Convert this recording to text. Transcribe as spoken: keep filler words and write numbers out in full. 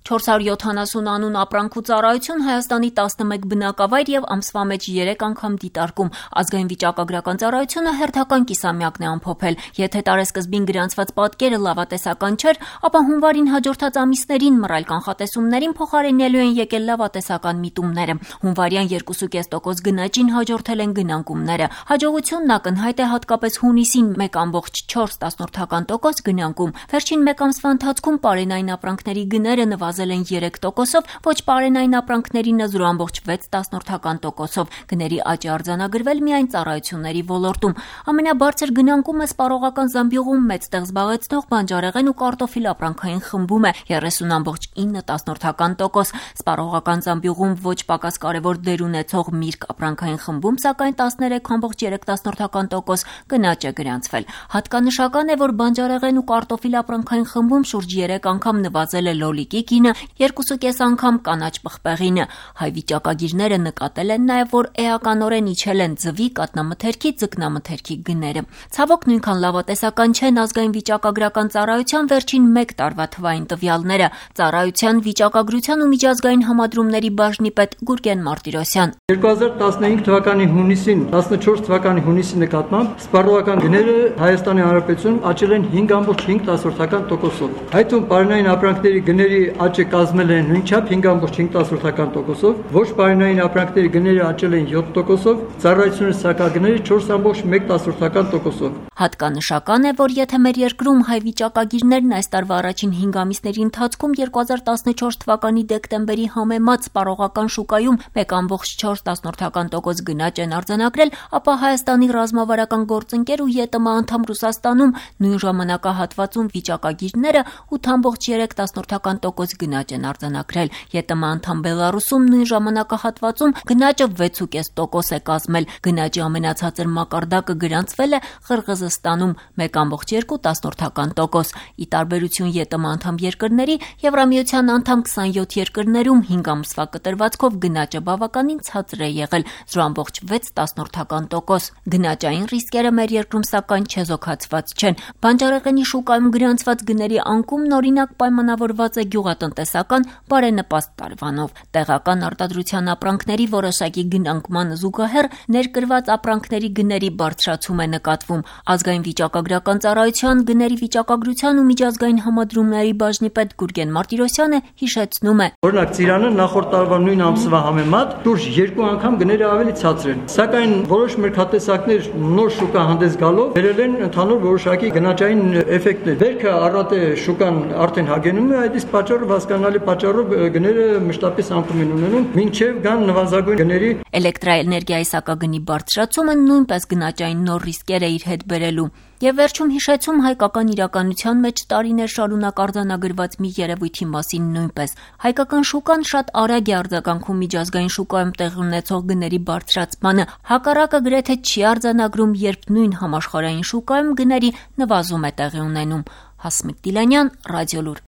չորս հարյուր յոթանասուն անուն ապրանք ու ծառայություն Հայաստանի տասնմեկ բնակավայր եւ ամսվա մեջ երեք անգամ դիտարկում։ Ազգային վիճակագրական ծառայությունը հերթական կիսամյակն է ամփոփել։ Եթե տարեսկզբին գրանցված պատկերը լավատեսական չէր, ապա հունվարին հաջորդած ամիսներին մռայլ կանխատեսումներին փոխարինելու են եկել լավատեսական միտումները։ Հունվարյան երկու կես տոկոս գնաճին հաջորդել են գնանկումները։ Հաջողությունն ակնհայտ է հատկապես հունիսին մեկ կόμma չորս տոկոս գնանկում։ Վերջին մեկ ամսվա ընթացքում պարենային ապրանքների գները նվազել են երեք տոկոսով, ոչ պարենային ապրանքներինը զրո կόμma վեց տոկոսով։ Գների աճ է արձանագրվել միայն ծառայությունների ոլորտում։ Ամենաբարձր գնանկումը սպառողական զամբյուղում մեծ տեղ զբաղեցնող բանջարեղեն ու կարտոֆիլ ապրանքային խմբում է երեսուն կόμma ինը տոկոս։ Սպառողական զամբյուղում ոչ պակաս կարևոր դեր ունեցող միրգ ապրանքային խմբում սակայն տասներեք կόμma երեք տոկոս գնաճ է գրանցվել։ Հատկանշական է, որ բանջարեղեն ու կարտոֆիլ ապրանքային խմբում շուրջ երեք անգամ նվազել է լոլիկի գինը, երկու կես անգամ կանաչ պղպեղինը։ Հայ վիճակագիրները նկատել են նաև, որ էականորեն իջել են ձվի, կատնամթերքի, ձկնամթերքի գները։ Ցավոք նույնքան լավատեսական չեն ազգային վիճակագրական ծառայության վերջին մեկ տարվա թվային տվյալները։ Ծառայության վիճակագրության ու միջազգային համադրումների բաժնի պետ Գուրգեն Մարտիրոսյան։ երկու հազար տասնհինգ թվականի հունիսին, տասնչորս թվականի հունիսի նկատմամբ սպառողական գները Հայաստանի Հանրապետությունում աճել են հինգ կόμma հինգ տոկոսով։ Հայտում պարենային ապրանքների գների աճը կազմել է նույնչափ հինգ կόμma հինգ տոկոսով, ոչ պարենային ապրանքների գները աճել են յոթ տոկոսով, ծառայությունների սակագները չորս կόμma մեկ տոկոսով։ Հատկանշական է, որ եթե մեր երկրում հայ վիճակագիրներն այս տարվա առաջին հինգ ամիսների ընթացքում երկու հազար տասնչորս թվականի դեկտեմբերի համեմատ սպառողական շուկայում մեկ կόμma չորս տոկոս գնաճ են արձանագրել, ապա Հայաստանի ռազմավարական գործընկեր ու ԵՏՄ անդամ Ռուսաստանում նույն ժամանակահատվածում վիճակագիրները ութ կόμma երեք տոկոս գնաճ են արձանագրել։ ԵՏՄ անդամ Բելարուսում նույն ժամանակահատվածում գնաճը վեց կես տոկոս է կազմել։ Գնաճի ամենացածր մակարդակը գրանցվել է Ղրղզստանում մեկ կόμma երկու տոկոս։ Ի տարբերություն ԵՏՄ անդամ երկրների, Եվրամիության անդամ քսանյոթ երկրներում հինգ ամսվա կտրվածքով գնաճը բավականին ցածր է եղել զրո կόμma վեց տոկոս։ Գնաճային ռիսկերը մեր երկրում սակայն չեզոքացված չեն։ Բանջարեղենի շուկայում գրանցված գների անկումն օրինակ պայմանավորված է գյուղատնտեսական բարենպաստ տարվանով։ Տեղական արտադրության ապրանքների որոշակի գնանկմանը զուգահեռ ներկրված ապրանքների գների բարձրացում է նկատվում։ Ազգային վիճակագրական ծառայության գների վիճակագրության ու միջազգային համադրումների բաժնի պետ Գուրգեն Մարտիրոսյանը հիշեցնում է. Օրինակ ծիրանը նախորդ տարվա նույն ամսվա համեմատ շուրջ երկու անգամ գները ավելի ցածր են։ Սակայն որոշ մրգատեսակներ նոր շուկա հանդես գալով բերել են ընդհանուր որոշակի գնաճային էֆեկտներ։ Վերքը առատ է շուկան արդեն հագենում է, այդ իսկ պատճառով հասկանալի պատճառով գները մշտապես անկում են ունենում, մինչև գան նվազագույն գների։ Էլեկտրաէներգիայի սակագնի բարձրացումը նույնպես գնաճային նոր ռիսկեր է իր հետ բերելու։ Եվ վերջում հիշեցում հայկական իրականության մեջ տարիներ շարունակ արձանագրված մի երևույթի մասին նույնպես։ Հայկական շուկան շատ արագ է արձագանքում միջազգային շուկայում տեղի ունեցող գների բարձրացմանը։ Հակառակը գրեթե չի արձանագրում, երբ նույն համաշխարհային շուկայում գների նվազում է տեղի ունենում։ Հասմիկ Դիլանյան, Ռադիոլուր։